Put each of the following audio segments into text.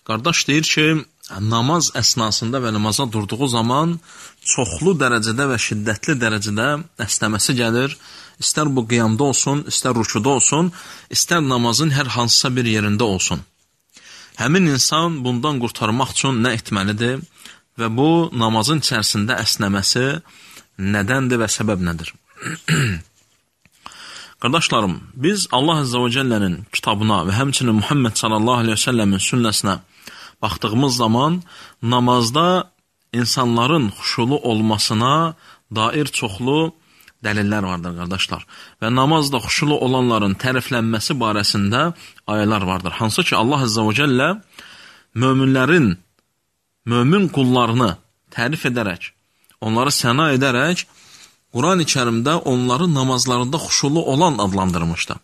qardaş deyir ki, namaz əsnasında və namaza durduğu zaman çoxlu dərəcədə və şiddətli dərəcədə əsnəməsi gəlir. İstər bu qiyamda olsun, istər rükuda olsun, istər namazın hər hansısa bir yerində olsun. Həmin insan bundan qurtarmaq üçün nə etməlidir və bu namazın içərisində əsnəməsi nədəndir və səbəb nədir? Qardaşlarım, biz Allah Azza və Cəllənin kitabına və həmçinin Muhammed sallallahu aleyhi və səlləmin sünnəsinə baxdığımız zaman namazda insanların xuşulu olmasına dair çoxlu dəlillər vardır, qardaşlar. Və namazda xuşulu olanların təriflənməsi barəsində ayələr vardır. Hansı ki, Allah Azza və Cəllə mömin qullarını tərif edərək, onları səna edərək, Quran-ı Kərimdə onları namazlarında xuşulu olan adlandırmışdır.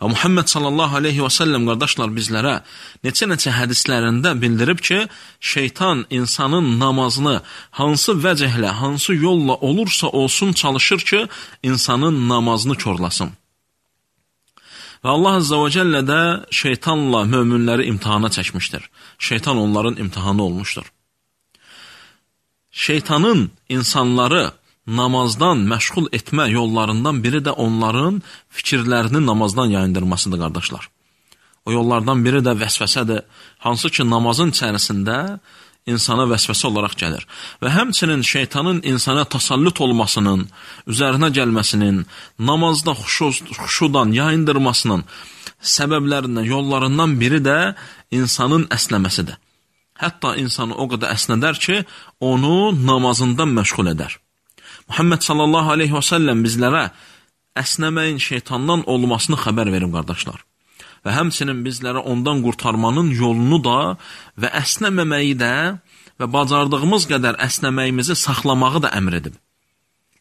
Və Muhammed sallallahu aleyhi və səlləm qardaşlar bizlərə neçə hədislərində bildirib ki, şeytan insanın namazını hansı vəcəhlə, hansı yolla olursa olsun çalışır ki, insanın namazını körlasın. Və Allah Azza və Cəllə də şeytanla möminləri imtihana çəkmişdir. Şeytan onların imtihanı olmuşdur. Şeytanın insanları namazdan məşğul etmə yollarından biri də onların fikirlərini namazdan yayındırmasıdır, qardaşlar. O yollardan biri də vəsvəsədir, hansı ki, namazın içərisində insana vəsvəsə olaraq gəlir. Və həmçinin şeytanın insana tasallüt olmasının, üzərinə gəlməsinin, namazda xuşudan yayındırmasının səbəblərindən, yollarından biri də insanın əsnəməsidir. Hətta insanı o qədər əsnədər ki, onu namazından məşğul edər. Muhammed sallallahu aleyhi və səlləm bizlərə əsnəməyin şeytandan olmasını xəbər verim, qardaşlar. Və həmçinin bizlərə ondan qurtarmanın yolunu da və əsnəməməyi də və bacardığımız qədər əsnəməyimizi saxlamağı da əmr edib.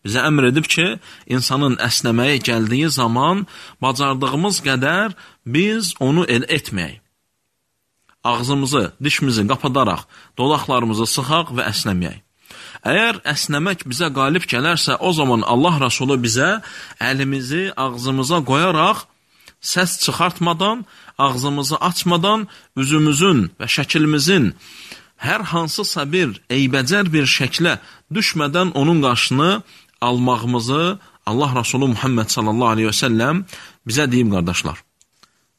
Bizə əmr edib ki, insanın əsnəməyə gəldiyi zaman bacardığımız qədər biz onu etməyək. Ağzımızı, dişimizi qapadaraq, dodaqlarımızı sıxaq və əsnəməyək. Əgər əsnəmək bizə qalib gələrsə, o zaman Allah Rasulü bizə əlimizi ağzımıza qoyaraq, səs çıxartmadan, ağzımızı açmadan, üzümüzün və şəkilimizin hər hansısa bir eybəcər bir şəklə düşmədən onun qarşını almağımızı Allah Rasulü Muhammed sallallahu aleyhi və səlləm bizə deyib, qardaşlar.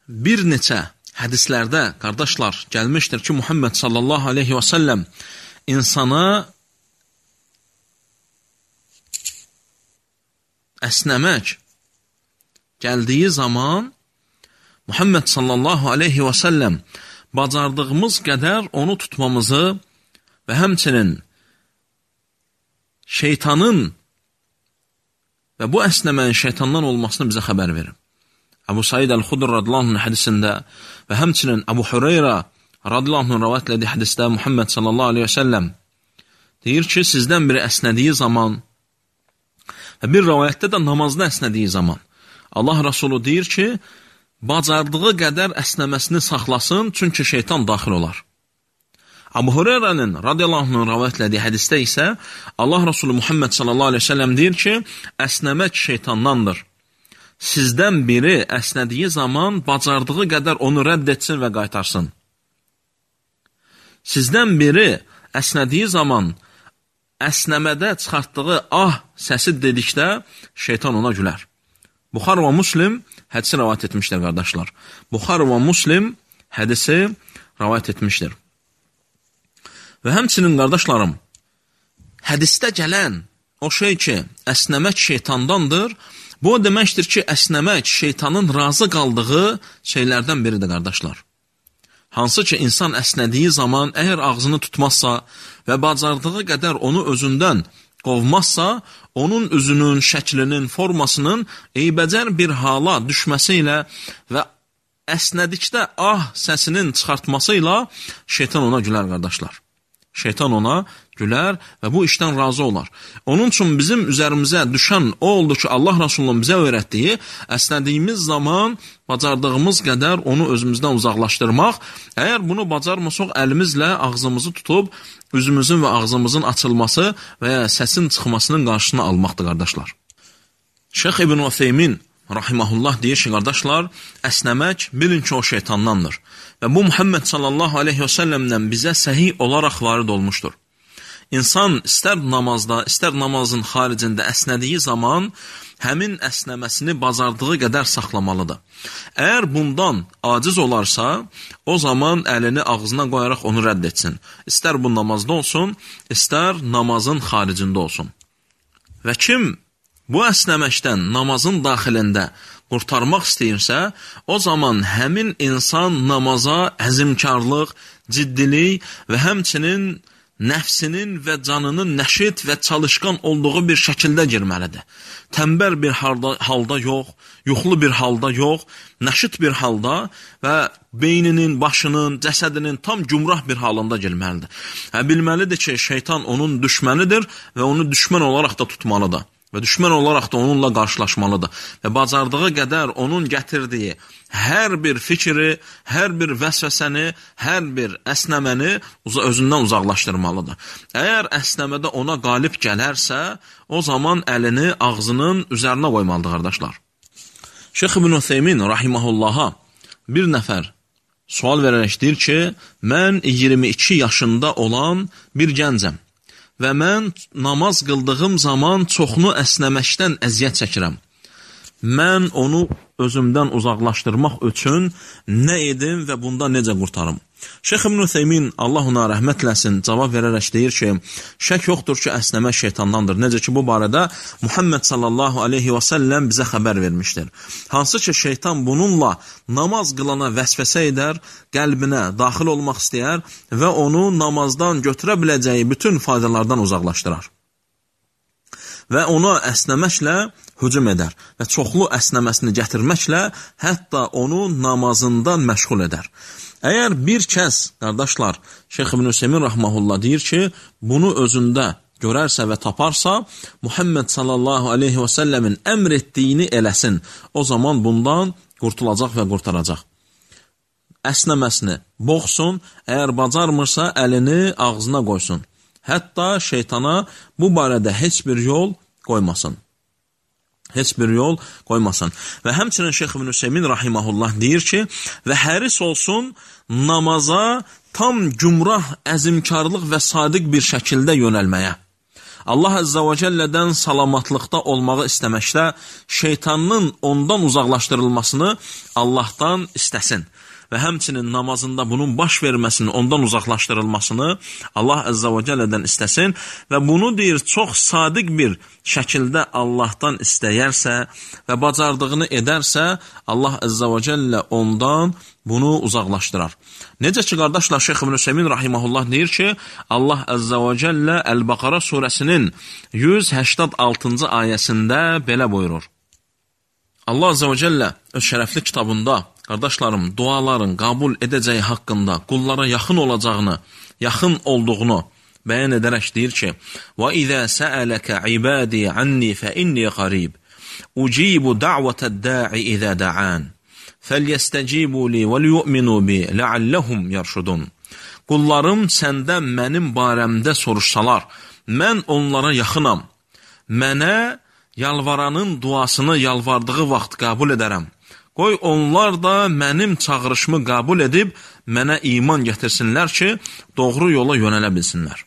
Bir neçə hədislərdə, qardaşlar, gəlmişdir ki, Muhammed sallallahu aleyhi və səlləm insana əsnəmək gəldiyi zaman Muhammed sallallahu aleyhi və səlləm bacardığımız qədər onu tutmamızı və həmçinin şeytanın və bu əsnəməyin şeytandan olmasını bizə xəbər verir. Əbu Said Əl-Xudr radiyallahu anh hədisində və həmçinin Əbu Hüreyrə radiyallahu anh rəvayət etdiyi hədisdə Muhammed sallallahu aleyhi və səlləm deyir ki, sizdən biri əsnədiyi zaman və bir rəvayətdə də namazda əsnədiyi zaman Allah Rasulü deyir ki, bacardığı qədər əsnəməsini saxlasın, çünki şeytan daxil olar. Əbu Hüreyrənin radiyallahu anh rəvayətlədiyi hədisdə isə Allah Rasulü Muhammed sallallahu aleyhi ve sellem deyir ki, əsnəmək şeytandandır. Sizdən biri əsnədiyi zaman bacardığı qədər onu rədd etsin və qaytarsın. Sizdən biri əsnədiyi zaman əsnəmədə çıxartdığı səsi dedikdə şeytan ona gülər. Buxar və Müslim hədisi rəvayət etmişdir, qardaşlar. Buxar və Müslim hədisi rəvayət etmişdir. Və həmçinin, qardaşlarım, hədisdə gələn o şey ki, əsnəmək şeytandandır, bu deməkdir ki, əsnəmək şeytanın razı qaldığı şeylərdən biridir, qardaşlar. Hansı ki, insan əsnədiyi zaman əgər ağzını tutmazsa və bacardığı qədər onu özündən qovmazsa, onun üzünün, şəklinin, formasının eybəcər bir hala düşməsi ilə və əsnədikdə səsinin çıxartması ilə şeytan ona gülər, qardaşlar. Şeytan ona gülər və bu işdən razı olar. Onun üçün bizim üzərimizə düşən o oldu ki, Allah Rasulunun bizə öyrətdiyi, əsnədiyimiz zaman bacardığımız qədər onu özümüzdən uzaqlaşdırmaq, əgər bunu bacarmasaq əlimizlə ağzımızı tutub, üzümüzün və ağzımızın açılması və ya səsin çıxmasının qarşısını almaqdır, qardaşlar. Şeyx İbn Ütheymin rahiməhullah deyir ki, qardaşlar, əsnəmək bilin ki, o şeytandandır. Və bu Muhammed sallallahu aleyhi və səlləmdən bizə səhih olaraq varid olmuşdur. İnsan istər namazda, istər namazın xaricində əsnədiyi zaman həmin əsnəməsini bacardığı qədər saxlamalıdır. Əgər bundan aciz olarsa, o zaman əlini ağzına qoyaraq onu rədd etsin. İstər bu namazda olsun, istər namazın xaricində olsun. Və kim bu əsnəməkdən namazın daxilində qurtarmaq istəyirsə, o zaman həmin insan namaza əzimkarlıq, ciddilik və həmçinin nəfsinin və canının nəşit və çalışqan olduğu bir şəkildə girməlidir. Tənbəl bir halda yox, yuxulu bir halda yox, nəşit bir halda və beyninin, başının, cəsədinin tam gümrah bir halında girməlidir. Bilməlidir ki, şeytan onun düşmənidir və onu düşmən olaraq da tutmalıdır. Və düşmən olaraq da onunla qarşılaşmalıdır. Və bacardığı qədər onun gətirdiyi hər bir fikri, hər bir vəsvəsəni, hər bir əsnəməni özündən uzaqlaşdırmalıdır. Əgər əsnəmədə ona qalib gələrsə, o zaman əlini ağzının üzərinə qoymalıdır, qardaşlar. Şeyx İbn Ütheymin rahiməhullaha bir nəfər sual verərək deyir ki, mən 22 yaşında olan bir gəncəm. Və mən namaz qıldığım zaman çoxunu əsnəməkdən əziyyət çəkirəm. Mən onu özümdən uzaqlaşdırmaq üçün nə edim və bundan necə qurtarım? Şeyx İbn Ütheymin, Allah ona rəhmət eləsin, cavab verərək deyir ki, şək yoxdur ki, əsnəmək şeytandandır. Necə ki, bu barədə Muhammed sallallahu aleyhi və səlləm bizə xəbər vermişdir. Hansı ki, şeytan bununla namaz qılana vəsvəsə edər, qəlbinə daxil olmaq istəyər və onu namazdan götürə biləcəyi bütün faydalardan uzaqlaşdırar. Və ona əsnəməklə hücum edər və çoxlu əsnəməsini gətirməklə hətta onu namazından məşğul edər. Əgər bir kəs, qardaşlar, Şeyx İbn Ütheymin rahmehullah deyir ki, bunu özündə görərsə və taparsa, Muhammed sallallahu aleyhi və səlləmin əmr etdiyini eləsin, o zaman bundan qurtulacaq və qurtaracaq. Əsnəməsini boğsun, əgər bacarmırsa əlini ağzına qoysun. Hətta şeytana bu barədə heç bir yol qoymasın. Heç bir yol qoymasın. Və həmçinin Şeyx İbn Ütheymin rahiməhullah deyir ki, və həris olsun namaza tam gümrah, əzimkarlıq və sadiq bir şəkildə yönəlməyə. Allah Əzzə və Cəllədən salamatlıqda olmağı istəməkdə şeytanın ondan uzaqlaşdırılmasını Allahdan istəsin. Və həmçinin namazında bunun baş verməsini, ondan uzaqlaşdırılmasını Allah Əzzə və Cəllədən istəsin və bunu deyir, çox sadiq bir şəkildə Allahdan istəyərsə və bacardığını edərsə, Allah Əzzə və Cəllə ondan bunu uzaqlaşdırar. Necə ki, qardaşlar, Şeyx İbn Ütheymin rahiməhullah deyir ki, Allah Əzzə və Cəllə Əl-Bəqara surəsinin 186-cı ayəsində belə buyurur. Allah Əzzə və Cəllə öz şərəfli kitabında, qardaşlarım, duaların qəbul edəcəyi haqqında qullara yaxın olacağını, yaxın olduğunu bəyan edərək deyir ki, وَإِذَا سَأَلَكَ عِبَادِي عَنِّي فَإِنِّي قَرِيبٌ أُجِيبُ دَعْوَةَ الدَّاعِ إِذَا دَعَانِ فَلْيَسْتَجِيبُوا لِي وَلْيُؤْمِنُوا بِي لَعَلَّهُمْ يَرْشُدُونَ. Qullarım səndən mənim barəmdə soruşsalar, mən onlara yaxınam. Mənə yalvaranın duasını yalvardığı vaxt qəbul edərəm. Qoy onlar da mənim çağırışımı qəbul edib mənə iman gətirsinlər ki, doğru yola yönələ bilsinlər.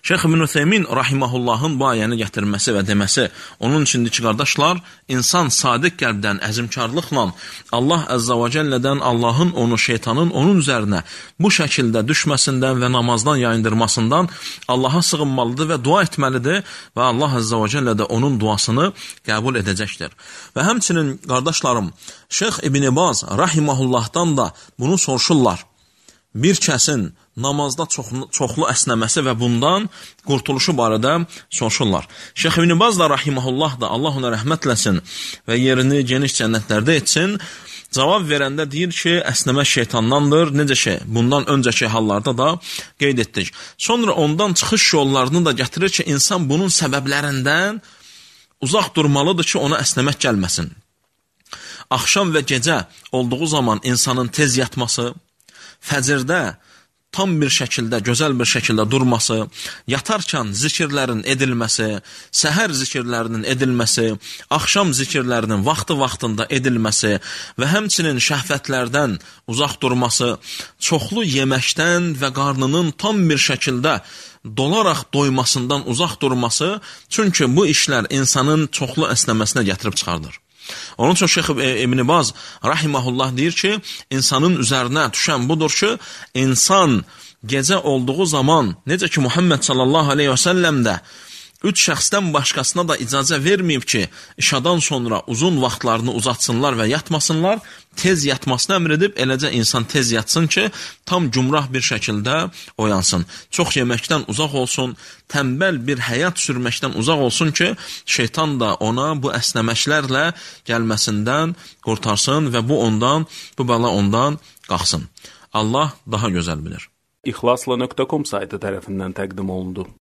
Şeyx İbn Ütheymin rahiməhullahın bu ayəni gətirməsi və deməsi onun üçündür ki, qardaşlar, insan sadiq qəlbdən, əzimkarlıqla Allah Əzzə və Cəllədən, Allahın onu, şeytanın onun üzərinə bu şəkildə düşməsindən və namazdan yayındırmasından Allaha sığınmalıdır və dua etməlidir və Allah Əzzə və Cəllə də onun duasını qəbul edəcəkdir. Və həmçinin, qardaşlarım, Şeyx İbn Baz rahiməhullahdan da bunu soruşurlar. Bir kəsin namazda çoxlu əsnəməsi və bundan qurtuluşu barədə soruşurlar. Şeyx İbn Baz da rahiməhullah da Allah ona rəhmət eləsin və yerini geniş cənnətlərdə etsin. Cavab verəndə deyir ki, əsnəmək şeytandandır. Necə ki, bundan öncəki hallarda da qeyd etdik. Sonra ondan çıxış yollarını da gətirir ki, insan bunun səbəblərindən uzaq durmalıdır ki, ona əsnəmək gəlməsin. Axşam və gecə olduğu zaman insanın tez yatması, fəcrdə tam bir şəkildə, gözəl bir şəkildə durması, yatarkən zikirlərin edilməsi, səhər zikirlərinin edilməsi, axşam zikirlərinin vaxtı-vaxtında edilməsi və həmçinin şəhvətlərdən uzaq durması, çoxlu yeməkdən və qarnının tam bir şəkildə dolaraq doymasından uzaq durması, çünki bu işlər insanın çoxlu əsnəməsinə gətirib çıxardır. Onun üçün Şeyx İbn Baz rahimehullah deyir ki, insanın üzərinə düşən budur ki, insan gecə olduğu zaman, necə ki Muhammed sallallahu aleyhi və səlləm də 3 şəxsdən başqasına da icazə verməyib ki, işadan sonra uzun vaxtlarını uzatsınlar və yatmasınlar, tez yatmasını əmr edib, eləcə insan tez yatsın ki, tam cümrah bir şəkildə oyansın. Çox yeməkdən uzaq olsun, tənbəl bir həyat sürməkdən uzaq olsun ki, şeytan da ona bu əsnəməklərlə gəlməsindən qurtarsın və bu bəla ondan qalxsın. Allah daha gözəl bilir. İxlasla.com saytı tərəfindən təqdim olundu.